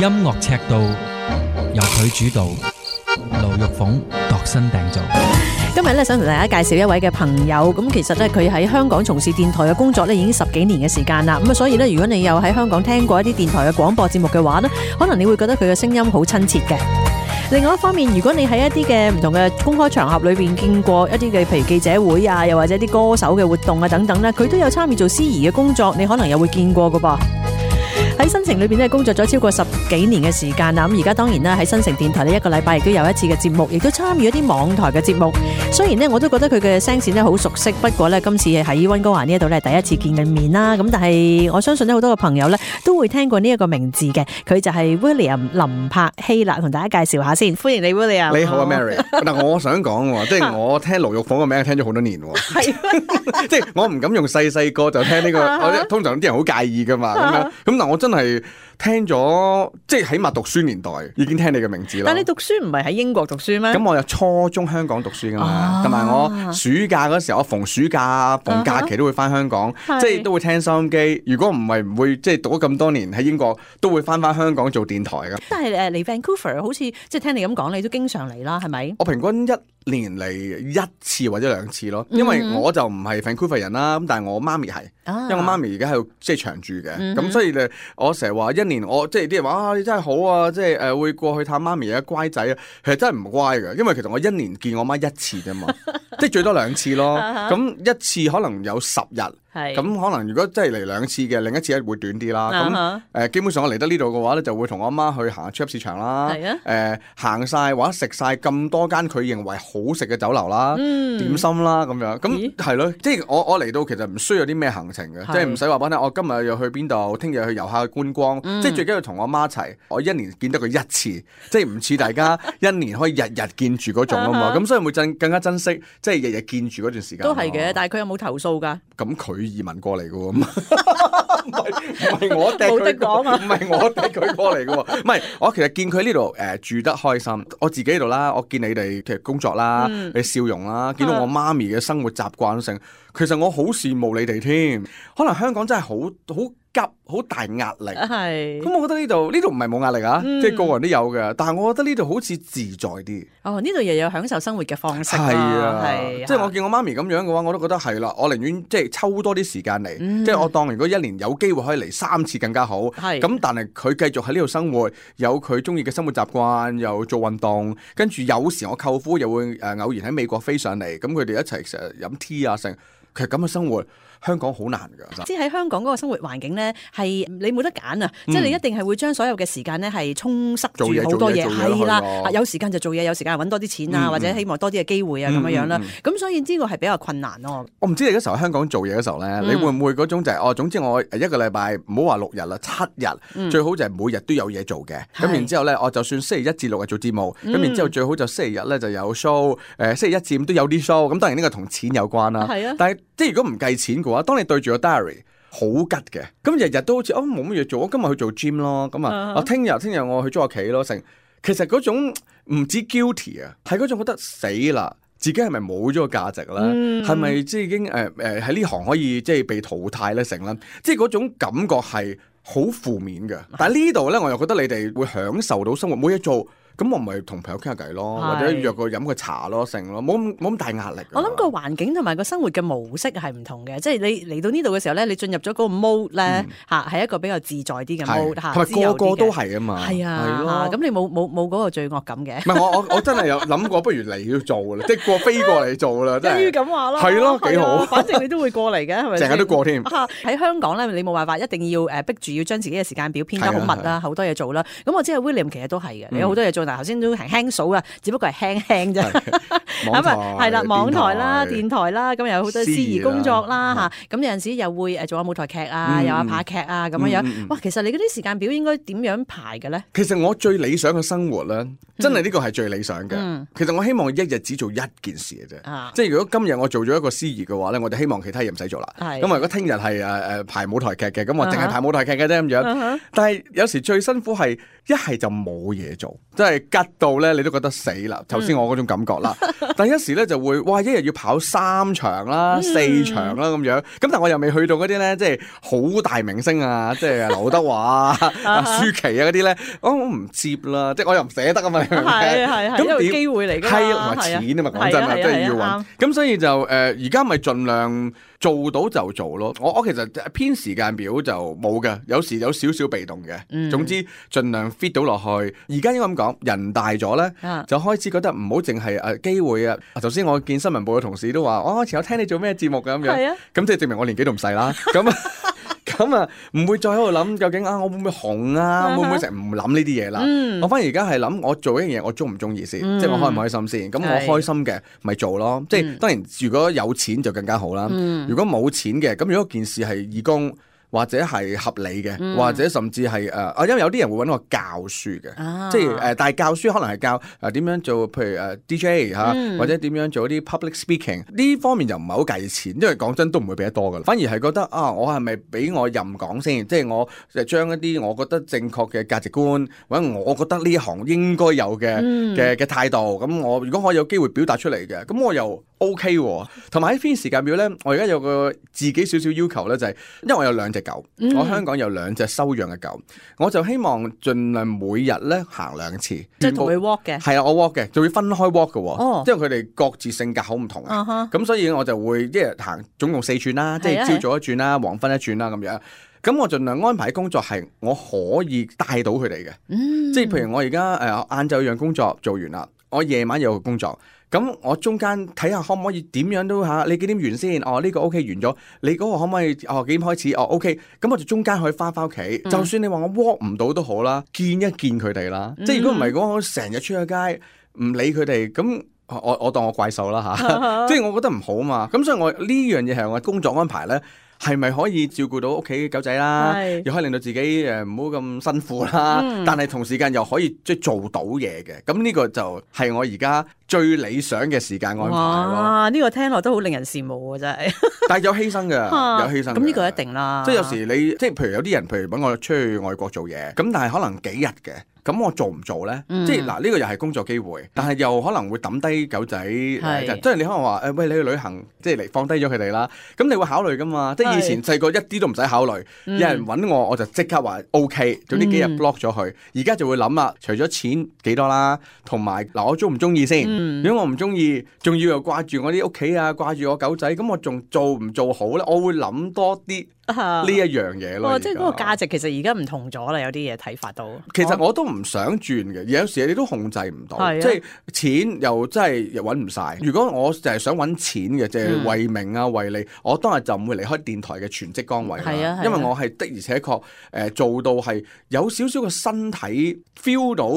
音樂尺度由佢主導，盧玉鳳度身訂造。今日咧想同大家介紹一位嘅朋友，咁其實咧佢喺香港從事電台嘅工作咧已經10幾年嘅時間啦，咁啊所以咧如果你有喺香港聽過一啲電台嘅廣播節目嘅話咧，可能你會覺得佢嘅聲音好親切嘅。另外一方面，如果你喺一啲嘅唔同嘅公開場合裏邊見過一啲嘅譬如記者會啊，又或者啲歌手嘅活動啊等等咧，佢都有參與做司儀嘅工作，你可能又會見過㗎噃。喺新城裏邊咧工作咗超過10幾年嘅時間啦，咁而家當然啦喺新城電台呢一個禮拜亦都有一次嘅節目，亦都參與一啲網台嘅節目。雖然呢我都覺得佢嘅聲線咧好熟悉，不過呢今次喺溫哥華呢一度咧第一次見嘅面啦，咁但係我相信呢好多嘅朋友呢都會聽過呢一個名字嘅，佢就係 William 林柏希啦，同大家介紹下先。歡迎你 William。你好啊 Mary。嗱我想講，即係我聽盧玉鳳個名聽咗好多年喎，係即係我唔敢用細個就聽呢個，我通常啲人好介意噶嘛，咁樣咁但我真係聽咗，即係起碼讀書年代已經聽你嘅名字啦。但你讀書唔係喺英國讀書咩？咁我有初中香港讀書噶嘛，同埋我暑假嗰時候，我逢暑假逢假期都會翻香港，即係都會聽收音機。如果唔係唔會，即係讀咗咁多年喺英國，都會翻香港做電台噶。但係嚟 Vancouver 好似即係聽你咁講，你都經常嚟啦，係咪？我平均一年嚟1次或者2次咯，因為我就唔係 Vancouver 人啦，咁但係我媽咪係，因為我媽咪而家喺度即係長住嘅，咁所以咧我成日話一年我即係啲人話啊你真係好啊，即係會過去探媽咪啊乖仔啊，其實真係唔乖嘅，因為其實我一年見我媽1次啫嘛，即係最多2次咯，咁一次可能有10日。咁可能如果真係嚟2次嘅，另一次會短啲啦。咁基本上我嚟得呢度嘅話咧，就會同我媽去行超級市場啦。行晒或者食晒咁多間佢認為好食嘅酒樓啦、點心啦咁樣。咁係咯，即係我嚟到其實唔需要啲咩行程嘅，即係唔使話俾你聽我今日又去邊度，聽日去遊下觀光。即係最緊要同我媽一齊，我一年見得佢1次，即係唔似大家一年可以日日見住嗰種啊嘛。咁所以會更加珍惜，即係日日見住嗰段時間。都係嘅，但係佢有冇投訴㗎？咁佢移民過嚟嘅喎，唔係我掟佢講啊，唔係我掟佢過嚟嘅喎，唔係我其實見佢呢度住得開心，我自己喺度啦，我見你哋其實工作啦，你笑容啦，見到我媽咪嘅生活習慣性，其實我好羨慕你哋添，可能香港真係好急好大壓力，咁我覺得呢度唔係冇壓力啊，即係個個人都有嘅，但係我覺得呢度好似自在啲。哦，呢度又有享受生活嘅方式。係啊，即係我見我媽咪咁樣嘅話，我都覺得係啦，我寧願即係抽多啲時間嚟，即係我當如果一年有機會可以嚟3次更加好。咁但係佢繼續喺呢度生活，有佢中意嘅生活習慣，又做運動，跟住有時我舅父又會偶然喺美國飛上嚟，咁佢哋一齊成日飲 tea 啊成，其實咁嘅生活。香港好難㗎，即係喺香港嗰個生活環境咧，係你冇得揀啊！即係你一定係會將所有嘅時間咧係充塞住好多嘢，係啦，有時間就做嘢，有時間揾多啲錢啊，或者希望多啲嘅機會啊咁樣啦。咁所以呢個係比較困難咯。我唔知你嗰時候喺香港做嘢嘅時候咧，你會唔會嗰種就係總之我一個禮拜唔好話6日啦，7日最好就係每日都有嘢做嘅。咁然之後咧，我就算星期1至6日做節目，咁然之後最好就星期日咧就有 show，星期1至5都有啲 show。咁當然呢個同錢有關啦。但係即係如果唔計錢嘅話，當你對住個 diary 好吉嘅，咁日日都好似冇乜嘢做，我今日去做 gym 咯，咁啊，聽日我去捉下棋咯，其實嗰種唔止 guilty 啊，係嗰種覺得死啦，自己係咪冇咗個價值咧？係咪即係已經喺呢行可以即係被淘汰咧成啦？即係嗰種感覺係好負面嘅。但係呢度咧，我又覺得你哋會享受到生活，冇嘢做。咁我咪同朋友傾下偈咯，或者約個飲個茶咯，成咯，冇咁大壓力。我諗個環境同埋個生活嘅模式係唔同嘅，即係你嚟到呢度嘅時候咧，你進入咗嗰個 mode 咧嚇，係一個比較自在啲嘅 mode 嚇，同埋個個都係啊嘛。係啊，咁你冇嗰個罪惡感嘅。唔係我真係有諗過，不如嚟要做啦，即係飛過嚟做啦，真係。一於咁話咯。係咯，幾好。反正你都會過嚟嘅，係咪？成日都過添。喺香港咧，你冇辦法一定要逼住要將自己嘅時間表編得好密啦，好多嘢做啦。咁我知係 William 其實都係嘅，你有好多嘢做，但係頭先都輕數啊，只不過係輕啫。咁啊，係啦，網台啦、電台啦，咁有好多司儀工作啦嚇。咁有陣時又會做下舞台劇啊，有下拍劇啊咁樣樣。哇，其實你嗰啲時間表應該點樣排嘅咧？其實我最理想嘅生活咧，真係呢個係最理想嘅。其實我希望一日只做一件事嘅啫。即係如果今日我做咗一個司儀嘅話咧，我哋希望其他嘢唔使做啦。咁如果聽日係排舞台劇嘅，咁我淨係排舞台劇嘅啫咁樣。但係有時最辛苦係一係就冇嘢做，即係吉到咧你都覺得死啦。頭先我嗰種感覺啦，但係一時咧就會哇，一日要跑3場啦、4場啦咁樣。咁但係我又未去到嗰啲咧，即係好大明星啊，即係劉德華啊、舒淇啊嗰啲咧，我唔接啦，即係我又唔捨得啊嘛。係咁點機會嚟㗎？係同埋錢啊嘛，講真啊，即係要揾。咁所以就而家咪盡量做到就做咯。我其實編時間表就冇嘅，有時有少少被動嘅。總之盡量 fit 到落去。而家應該咁講，人大咗咧，就開始覺得唔好淨係機會啊。頭先我見新聞部嘅同事都話，我前有聽你做咩節目咁樣，咁即係證明我年紀都唔細啦。咁啊，唔會再喺度諗究竟我會唔會紅啊？會唔會成日唔諗呢啲嘢啦？我反而而家係諗我做一樣嘢，我中唔中意先，即係我開唔開心先。咁我開心嘅咪做咯。即係當然，如果有錢就更加好啦。如果冇錢嘅，咁如果件事係義工，或者係合理嘅，或者甚至係因為有啲人會揾我教書嘅，即係但係教書可能係教點樣做，譬如DJ 或者點樣做啲 public speaking 呢方面就唔係好計錢，因為講真都唔會俾得多噶啦，反而係覺得我係咪俾我任講先，即係我將一啲我覺得正確嘅價值觀，或者我覺得呢一行應該有嘅態度，咁我如果我有機會表達出嚟嘅，咁我又 OK 喎。同埋喺編時間表咧，我而家有個自己少少要求咧，就係因為我有2隻狗，我香港有2隻收養嘅狗，我就希望盡量每日咧行2次，即係同佢 walk 嘅。係啊，我 walk 嘅，仲要分開 walk 嘅，因為佢哋各自性格好唔同啊。咁所以我就會一日行總共4轉啦，即係朝早1轉啦，黃昏1轉啦咁樣。咁我盡量安排工作係我可以帶到佢哋嘅，即係譬如我而家晏晝樣工作做完啦，我夜晚有個工作。咁我中間睇下可唔可以點樣都你幾點完先？呢個 OK 完咗，你嗰個可唔可以幾點開始？OK，咁我就中間可以翻屋企。就算你話我 walk 唔到都好啦，見一見佢哋啦。即係如果唔係講我成日出去街唔理佢哋，咁我當我怪獸啦嚇。即係我覺得唔好嘛。咁所以我呢樣嘢係我工作安排咧。係咪可以照顧到屋企狗仔啦？又可以令到自己唔好咁辛苦啦。但係同時間又可以即係做到嘢嘅。咁呢個就係我而家最理想嘅時間安排咯。哇！呢個聽落都好令人羨慕啊，真係。但係有犧牲嘅，有犧牲。咁呢個一定啦。即係有時你即係譬如有啲人，譬如揾我出去外國做嘢，咁但係可能幾日嘅。咁我做唔做咧？即係嗱，呢個又係工作機會，但係又可能會抌低狗仔。即係你可能話喂，你去旅行，即係嚟放低咗佢哋啦。咁你會考慮噶嘛？即係以前細個一啲都唔使考慮，有人揾我就即刻話 OK，總之幾日 block 咗佢。而家就會諗啦，除咗錢幾多啦，同埋嗱我中唔中意先？如果我唔中意，仲要又掛住我啲屋企啊，掛住我狗仔，咁我仲做唔做好咧？我會諗多啲。呢一樣嘢咯，即係嗰個價值其實而家唔同咗啦，有啲嘢睇法到。其實我都唔想轉嘅，有時你都控制唔到，即係錢又真係又揾唔晒。如果我就係想揾錢嘅，即係為名啊為利，我當日就唔會離開電台嘅全職崗位啦。因為我係的而且確做到係有少少個身體 feel 到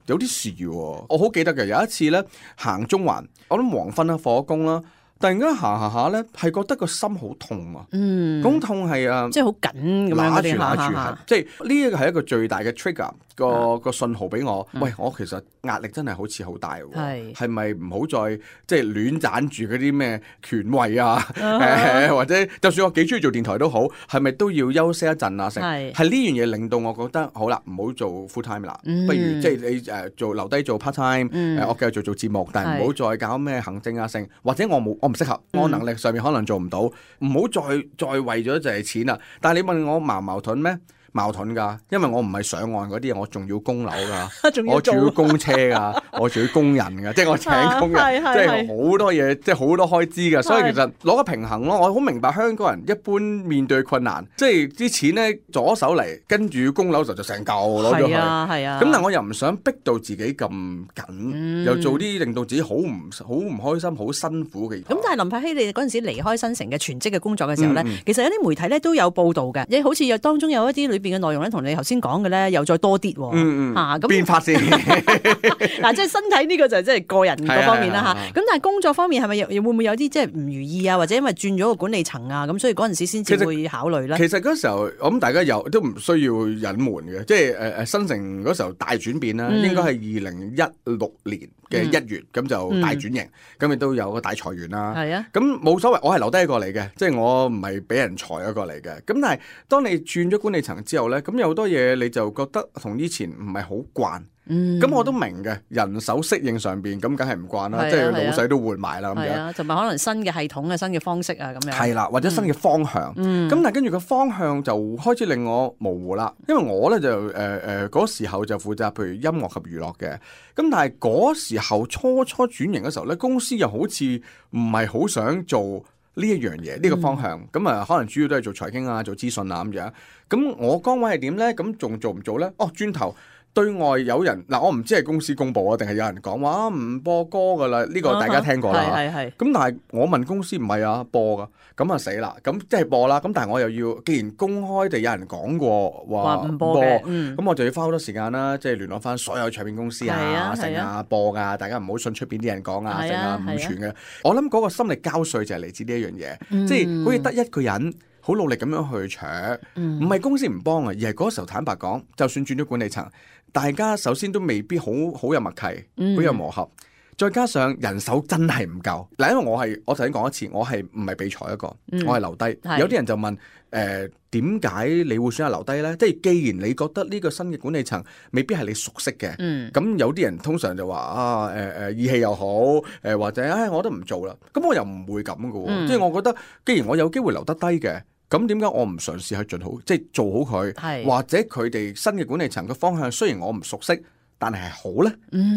有啲事喎。我好記得嘅有一次咧行中環，我諗黃昏啦放工啦。突然間行下咧，係覺得個心好痛啊！咁痛係即係好緊咁樣揦住，即係呢一個係一個最大嘅 trigger 個信號俾我。喂，我其實壓力真係好似好大喎，係咪唔好再即係亂斬住嗰啲咩權位啊？或者就算我幾中意做電台都好，係咪都要休息一陣啊？係呢樣嘢令到我覺得好啦，唔好做 full time 啦，不如即係你做留低做 part time，我繼續做節目，但係唔好再搞咩行政啊性，或者我唔適合，我能力上面可能做唔到，唔好再為咗就係錢啦。但係你問我矛盾咩？矛盾㗎，因為我唔係上岸嗰啲，我仲要供樓㗎，我仲要供車㗎，我仲要供人㗎，即係我請工人，即係好多嘢，即係好多開支㗎。所以其實攞個平衡咯。我好明白香港人一般面對困難，即係啲錢咧左手嚟，跟住供樓就成嚿攞咗去。咁但我又唔想逼到自己咁緊，又做啲令到自己好唔開心、好辛苦嘅嘢。咁但係林柏希，你嗰陣時離開新城嘅全職嘅工作嘅時候咧，其實有啲媒體咧都有報導嘅，你好似當中有一啲裏邊嘅內容咧，同你頭先講嘅咧，又再多啲喎。咁變化先嗱，即係身體呢個就即係個人嗰方面啦嚇。咁但係工作方面係咪會唔會有啲即係唔如意啊？或者因為轉咗個管理層啊，咁所以嗰陣時先至會考慮咧。其實嗰時候我諗大家都唔需要隱瞞嘅，即係新城嗰時候大轉變啦，應該係2016年嘅1月咁就大轉型，咁亦都有個大裁員啦。咁冇所謂，我係留低一個嚟嘅，即係我唔係俾人裁一個嚟嘅。咁但係當你轉咗管理層之後，之後咧，咁有好多嘢你就覺得同以前唔係好慣。咁我都明嘅，人手適應上邊咁梗係唔慣啦，即係老細都換埋啦咁樣，同埋可能新嘅系統啊、新嘅方式啊咁樣。係啦，或者新嘅方向。咁但係跟住個方向就開始令我模糊啦，因為我咧就嗰時候就負責譬如音樂及娛樂嘅，咁但係嗰時候初轉型嘅時候咧，公司又好似唔係好想做呢一樣嘢，呢個方向。咁啊，可能主要都係做財經啊、做資訊啊咁樣。咁我崗位係點咧？咁仲做唔做咧？轉頭。對外有人嗱，我唔知係公司公佈啊，定係有人講話唔播歌噶啦？呢個大家聽過啦。咁但係我問公司唔係啊，播噶，咁啊死啦！咁即係播啦。咁但係我又要，既然公開地有人講過話唔播嘅，咁我就要花好多時間啦，即係聯絡翻所有唱片公司啊、成啊播噶，大家唔好信出邊啲人講啊、成啊唔傳嘅。我諗嗰個心力交瘁就係嚟自呢一樣嘢，即係好似得一個人好努力咁樣去搶，唔係公司唔幫啊，而係嗰時候坦白講，就算轉咗管理層。大家首先都未必好有默契，好有磨合，再加上人手真係唔夠。嗱，因為我頭先講一次，我係唔係被裁一個，我係留低。有啲人就問點解你會選擇留低呢？即係既然你覺得呢個新嘅管理層未必係你熟悉嘅，咁有啲人通常就話義氣又好，或者我都唔做啦。咁我又唔會咁嘅喎，即係我覺得既然我有機會留得低嘅。咁點解我唔嘗試去盡好，即係做好佢，或者佢哋新嘅管理層嘅方向，雖然我唔熟悉，但係好咧，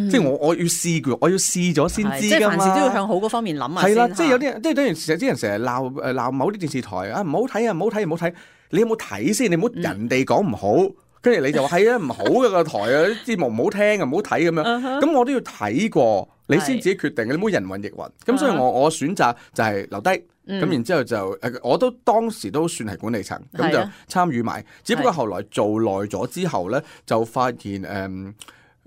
即係我要試過，我要試咗先知㗎嘛。即係凡事都要向好嗰方面諗下先。係啦，即係有啲人，即係等於啲人成日鬧某啲電視台啊，唔好睇啊，唔好睇，唔好睇。你有冇睇先？你唔好人哋講唔好，跟住你就話係啊，唔好嘅個台啊，啲節目唔好聽啊，唔好睇咁樣。咁我都要睇過，你先自己決定嘅，你唔好人云亦云。咁所以我選擇就係留低。咁然之後就我都當時都算係管理層，咁就參與埋。只不過後來做耐咗之後咧，就發現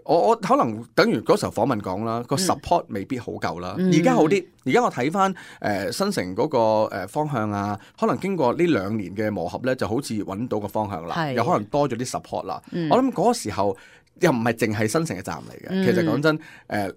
我可能等於嗰時候訪問講啦，個 support 未必好夠啦。而家好啲，而家我睇翻新城嗰個方向啊，可能經過呢2年嘅磨合咧，就好似揾到個方向啦，又可能多咗啲 support 啦。我諗嗰個時候又唔係淨係新城嘅站嚟嘅。其實講真，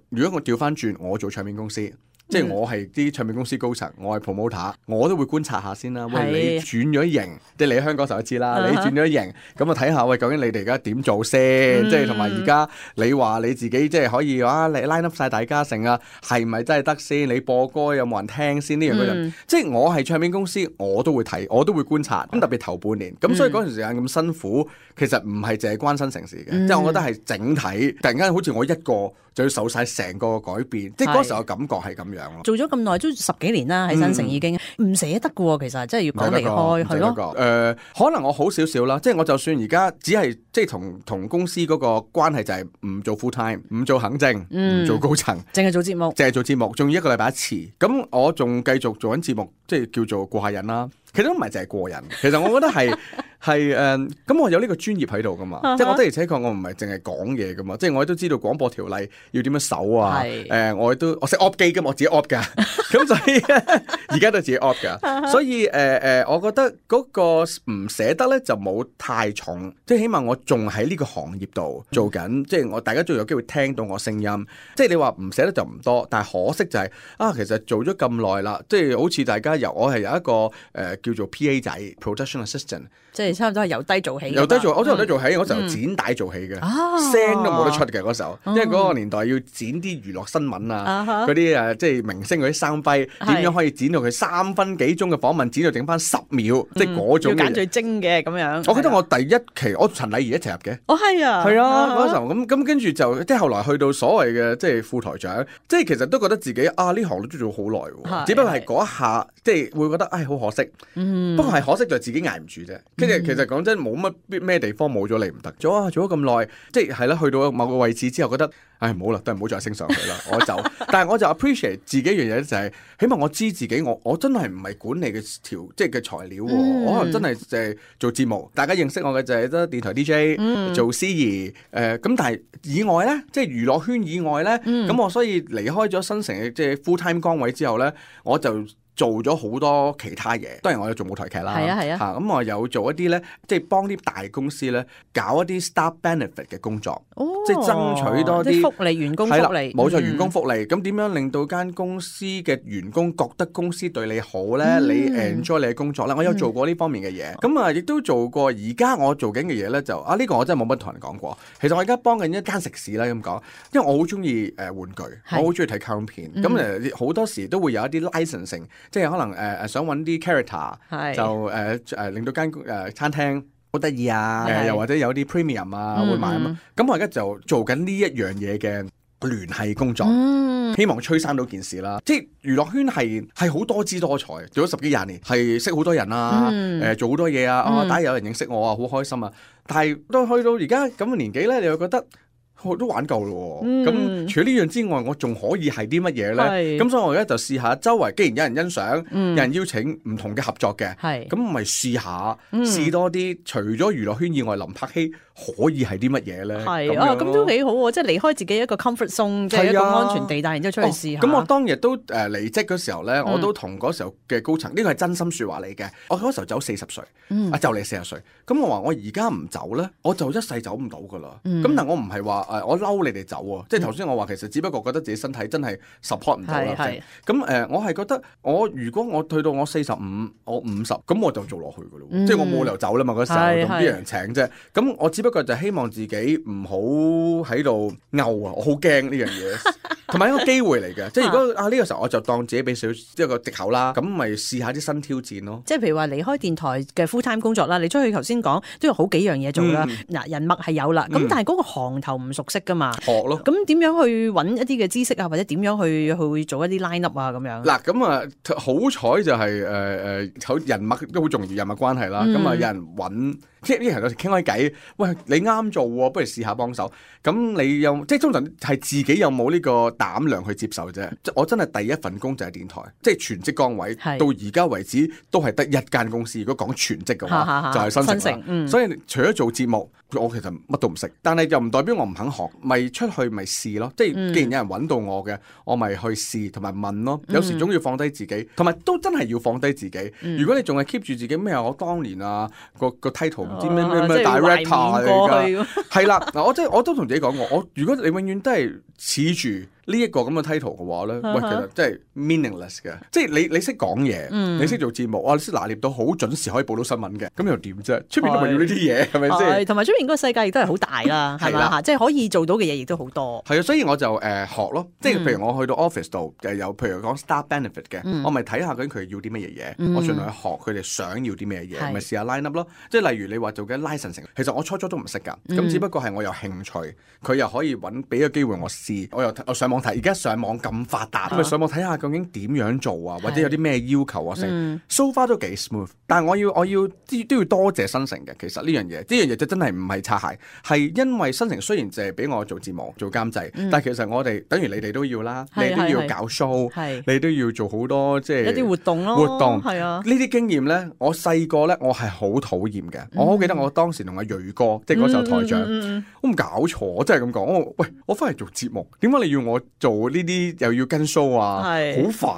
如果我調翻轉，我做唱片公司。即係我係啲唱片公司高層，我係 promoter， 我都會觀察下先啦。喂，你轉咗型，即係你喺香港時候都知啦。你轉咗型，咁啊睇下喂，究竟你哋而家點做先？即係同埋而家你話你自己即係可以話你 line up 晒大家成啊，係咪真係得先？你播歌有冇人聽先？呢樣嗰樣，即係我係唱片公司，我都會睇，我都會觀察。咁特別頭半年，咁所以嗰段時間咁辛苦，其實唔係淨係關新城事嘅，即係我覺得係整體。突然間好似我一個就要受晒成個改變，即係嗰時候感覺係咁樣咯。做咗咁耐都10幾年啦，喺新城已經唔捨得嘅喎，其實真係要講離開係咯。可能我好少少啦，即係我就算而家只係即係同公司嗰個關係就係唔做 full time， 唔做行政，唔做高層，淨係做節目，仲要1個禮拜1次。咁我仲繼續做緊節目，即係叫做過下癮啦。其實都唔係淨係過癮，其實我覺得係咁我有呢個專業喺度噶嘛，即係我的而且確我唔係淨係講嘢噶嘛，即係我都知道廣播條例要點樣守啊，我識 op 機噶嘛，我自己 op 噶，咁所以而家都自己 op 噶，所以我覺得嗰個唔捨得咧就冇太重，即係起碼我仲喺呢個行業度做緊，即係我大家仲有機會聽到我聲音，即係你話唔捨得就唔多，但係可惜就係其實做咗咁耐啦，即係好似大家我係有一個叫做 PA 仔 production assistant， 即係差唔多係由低做起。我都由低做起，我就剪帶做起嘅，聲都冇得出嘅嗰時候，因為嗰個年代要剪啲娛樂新聞啊，嗰啲即係明星嗰啲生輝，點樣可以剪到佢3分幾鐘嘅訪問，剪到整翻10秒，即係嗰種。要揀最精嘅咁樣。我記得我第一期我陳麗儀一齊入嘅。係啊。係啊，嗰時候咁跟住就即係後來去到所謂嘅即係副台長，即係其實都覺得自己呢行都做咗好耐喎，只不過係嗰一下即係會覺得好可惜。不過係可惜就係自己捱唔住啫。跟住其實講真冇乜咩地方冇咗你唔得。做咗咁耐，即係係啦，去到某個位置之後覺得唔好啦，都係唔好再升上去啦，我走。但係我就 appreciate 自己一樣嘢就係，起碼我知自己我真係唔係管理嘅即係嘅材料喎，我可能真係就係做節目，大家認識我嘅就係得電台 DJ 做司儀咁，但係以外咧，即係娛樂圈以外咧，咁我所以離開咗新城嘅即係 full time 崗位之後咧，我就做咗好多其他嘢。當然我有做舞台劇啦，係啊咁我有做一啲咧，即係幫啲大公司咧搞一啲 staff benefit 嘅工作，即係爭取多啲福利、員工福利。冇錯，員工福利。咁點樣令到間公司嘅員工覺得公司對你好咧？你 enjoy 你嘅工作咧？我有做過呢方面嘅嘢。咁啊，亦都做過。而家我做緊嘅嘢咧，就呢個我真係冇乜同人講過。其實我而家幫緊一間食肆啦，咁講，因為我好中意玩具，我好中意睇卡通片。咁好多時都會有一啲 licensing，即係可能想揾啲 character，就令到間餐廳好得意啊，又或者有啲 premium 啊會買啊嘛。咁我而家就做緊呢一樣嘢嘅聯繫工作，希望催生到件事啦。即係娛樂圈係好多姿多彩，做咗10幾20年，係識好多人啊，做好多嘢啊。第一有人認識我啊，好開心啊。但係都去到而家咁嘅年紀咧，你又覺得我都玩夠咯。咁除咗呢樣之外，我仲可以係啲乜嘢咧？咁所以我而家就試下周圍，既然有人欣賞，有人邀請唔同嘅合作嘅，咁咪試下試多啲。除咗娛樂圈以外，林柏希可以係啲乜嘢咧？係啊，咁都幾好喎！即係離開自己一個 comfort zone，即係一個安全地帶，然之後出去試下。咁我當日都離職嗰時候咧，我都同嗰時候嘅高層，呢個係真心説話嚟嘅。我嗰時候走40歲，就嚟40歲。咁我話我而家唔走咧，我就一世走唔到噶啦。咁但我唔係話我嬲你哋走喎，即係頭先我話其實只不過覺得自己身體真係 support 唔到啦。咁我係覺得如果我去到我45，我50，咁我就做落去噶咯。即係我冇理由走啦嘛，嗰時候同邊人請啫。咁我只不過就希望自己唔好喺度拗啊，我好驚呢樣嘢，同埋一個機會嚟嘅。即係如果呢個時候我就當自己俾少一個藉口啦，咁咪試下啲新挑戰咯。即係譬如話離開電台嘅 full time 工作啦，你出去頭先講都有好幾樣嘢做啦。嗱，人脈係有啦，咁但係嗰個行頭唔熟悉噶嘛，學咯。咁點樣去揾一啲嘅知識啊，或者點樣去做一啲 line up 啊咁樣？嗱，咁好彩就係人脈都好重要，人脈關係啦。咁有人揾。即係啲人有時傾開偈，喂，你啱做喎，不如試下幫手。咁你又即係通常係自己有冇呢個膽量去接受啫。我真係第一份工就係電台，即係全職崗位，到而家為止都係得一間公司。如果講全職嘅話，就係新城。所以除咗做節目，我其實乜都唔識。但係又唔代表我唔肯學，咪出去咪試咯。即係既然有人揾到我嘅，我咪去試同埋問咯。有時總要放低自己，同埋都真係要放低自己。如果你仲係 keep 住自己咩我當年個 title。唔知咩 director 嚟㗎，係啦嗱，我都同自己講過，如果你永遠都係恃住呢一個咁嘅 title 嘅話咧，喂，其實真係 meaningless 嘅。即係你識講嘢，你識做節目，你識拿捏到好準時可以報到新聞嘅，咁又點啫？出面都咪要呢啲嘢，係咪先？同埋出面嗰個世界亦都係好大啦，係嘛？即係可以做到嘅嘢亦都好多。係啊，所以我就學咯，即係譬如我去到 office 度有譬如講 staff benefit 嘅，我咪睇下究竟佢要啲乜嘢嘢，我盡量去學佢哋想要啲咩嘢，咪試下 line up 咯。即係例如你話做緊 licensing，其實我初都唔識㗎，咁只不過係我有興趣，佢又可以俾個機會我試，我上網睇，而家上網咁發達，咁咪上網睇下究竟點樣做啊，或者有啲咩要求啊成 so far 都幾 smooth。但係我都要多謝新城嘅，其實呢樣嘢就真係唔係擦鞋，係因為新城雖然淨係俾我做節目做監製，但係其實我哋等於你哋都要啦，你都要搞 show，你都要做好多即係一啲活動咯，係啊，呢啲經驗咧，我細個咧我係好討厭嘅，我好記得我當時同阿鋭哥，即係嗰時候台長，我唔搞錯，我真係咁講，我翻嚟做節目，點解你要我做呢啲又要跟 show 啊？好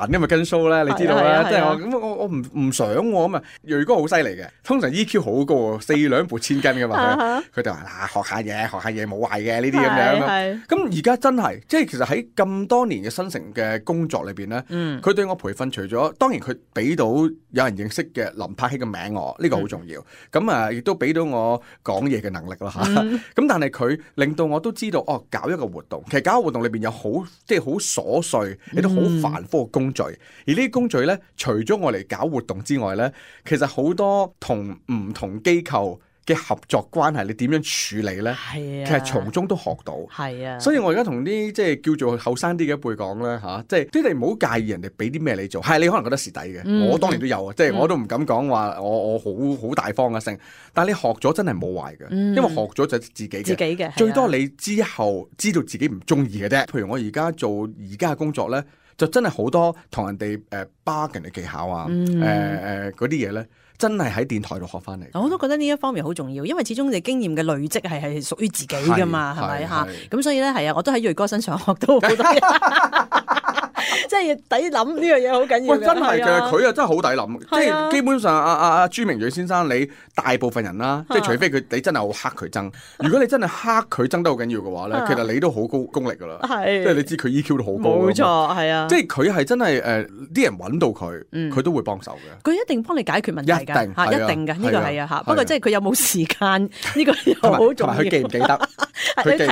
煩，因為跟 show 咧，你知道咧，即係我唔想咁啊。鋭哥好犀利嘅，通常 EQ 好高，4兩撥千斤噶嘛，佢就話嗱，學下嘢冇壞嘅呢啲咁樣。咁而家真係，即係其實喺咁多年嘅新城嘅工作裏邊咧，佢對我培訓除咗，當然佢俾到有人認識嘅林柏希嘅名我，呢個好重要。咁亦都俾到我講嘢嘅能力啦嚇。咁但係佢令到我都知道，搞一個活動，其實搞個活動裏邊有即係好瑣碎，亦都好繁複嘅工序。而呢啲工序咧，除咗我嚟搞活動之外咧，其實好多同唔同機構嘅合作關係，你點樣處理咧？係啊，其實從中都學到。係啊，所以我而家同啲即係叫做後生啲嘅一輩講咧嚇，即係你唔好介意人哋俾啲咩你做，係你可能覺得蝕底嘅，我當然都有啊，即係我都唔敢講話我好大方嘅性，但係你學咗真係冇壞嘅，因為學咗就自己嘅，最多你之後知道自己唔中意嘅啫。譬如我而家做而家嘅工作咧，就真係好多同人哋bargain嘅技巧啊，嗰啲嘢咧。真係喺電台度學翻嚟，我都覺得呢一方面好重要，因為始終你經驗嘅累積係屬於自己噶嘛，係咪嚇？咁所以咧係啊，我都喺鋭哥身上學到好多嘢。即係抵諗呢樣嘢好緊要嘅。喂，真係嘅，佢啊真係好抵諗，即係啊係基本上阿朱明睿先生，你大部分人啦，即係除非你真係好黑佢憎，如果你真係黑佢憎得好緊要嘅話咧，其實你都好高功力㗎啦，係即係你知佢 EQ 都好高。冇錯，係啊，即係佢係真係啲人揾到佢，佢都會幫手嘅。佢一定幫你解決問題㗎，一定㗎，呢個係啊嚇。不過即係佢有冇時間呢個又好重要。同埋佢記唔記得？你提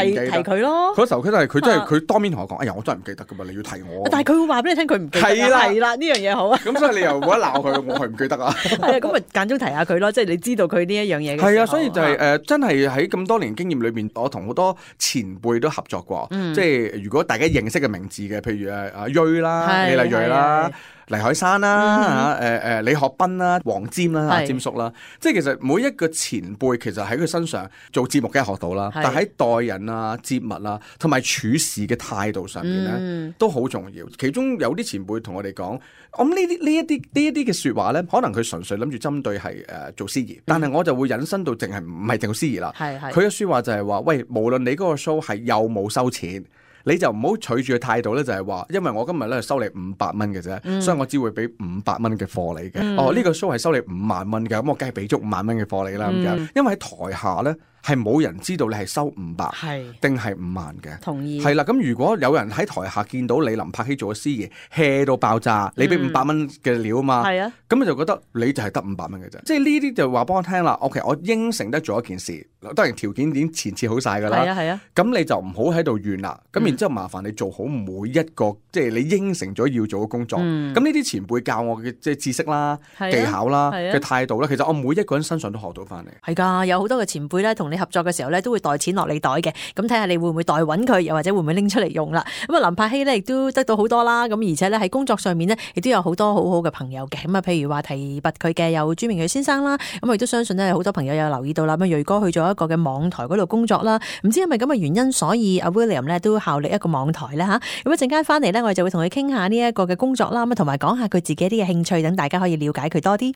佢咯。嗰時候佢真係佢當面同我講，哎呀，我真係唔記得㗎嘛，你要提我。但係佢會話俾你聽，佢唔記得。係啦，呢樣嘢好啊。咁所以你又冇得鬧佢，我係唔記得啊。係啊，咁咪間中提下佢咯，即係你知道佢呢一樣嘢嘅。係啊，所以就係真係喺咁多年經驗裏邊，我同好多前輩都合作過。即係如果大家認識嘅名字嘅，譬如阿瑞啦、李麗蕊啦、黎海山啦、李學斌啦、黃霑啦、阿霑叔啦，即係其實每一個前輩其實喺佢身上做節目梗係學到啦，但係喺待人啊、接物啊同埋處事嘅態度上面咧都好重要。其中有啲前輩同我哋講，我諗呢一啲嘅説話咧，可能佢純粹諗住針對係做司儀，但係我就會引申到淨係唔係淨做司儀啦。佢嘅説話就係話，喂，無論你嗰個 show 係有冇收錢，你就唔好取住嘅態度咧，就係話，因為我今日咧收你500蚊嘅啫，所以我只會俾500蚊嘅貨你嘅。呢個 show 係收你5萬蚊嘅，咁我梗係俾足5萬蚊嘅貨你啦。咁樣，因為喺台下咧係冇人知道你係收500定係5萬嘅。同意。係啦，咁如果有人喺台下見到你林柏希做咗司儀 hea 到爆炸，你俾500蚊嘅料啊嘛，咁就覺得你就係得500蚊嘅啫。即係呢啲就話幫我聽啦。OK， 我應承得做一件事，當然條件已經前設好晒㗎啦。咁你就唔好喺度怨啦。咁然之後麻煩你做好每一個即係你應承咗要做嘅工作。咁呢啲前輩教我嘅即係知識啦、技巧啦嘅態度啦，其實我每一個人身上都學到翻嚟。係㗎，有好多嘅前輩咧，同你合作嘅時候咧，都會袋錢落你袋嘅。咁睇下你會唔會代揾佢，又或者會唔會拎出嚟用啦。咁啊，林柏希咧亦都得到好多啦。咁而且咧喺工作上面咧，亦都有好多好好嘅朋友嘅。咁啊，譬如話提拔佢嘅有朱明睿先生啦。咁我亦都相信咧，好多朋友有留意到啦。咁睿哥去咗一個嘅網台嗰度工作啦。唔知係咪咁嘅原因，所以阿 William 咧都效力一個網台咧嚇。咁一陣間翻嚟咧，我哋就會同佢傾下呢一個嘅工作啦。咁同埋講下佢自己啲嘅興趣，等大家可以了解佢多啲。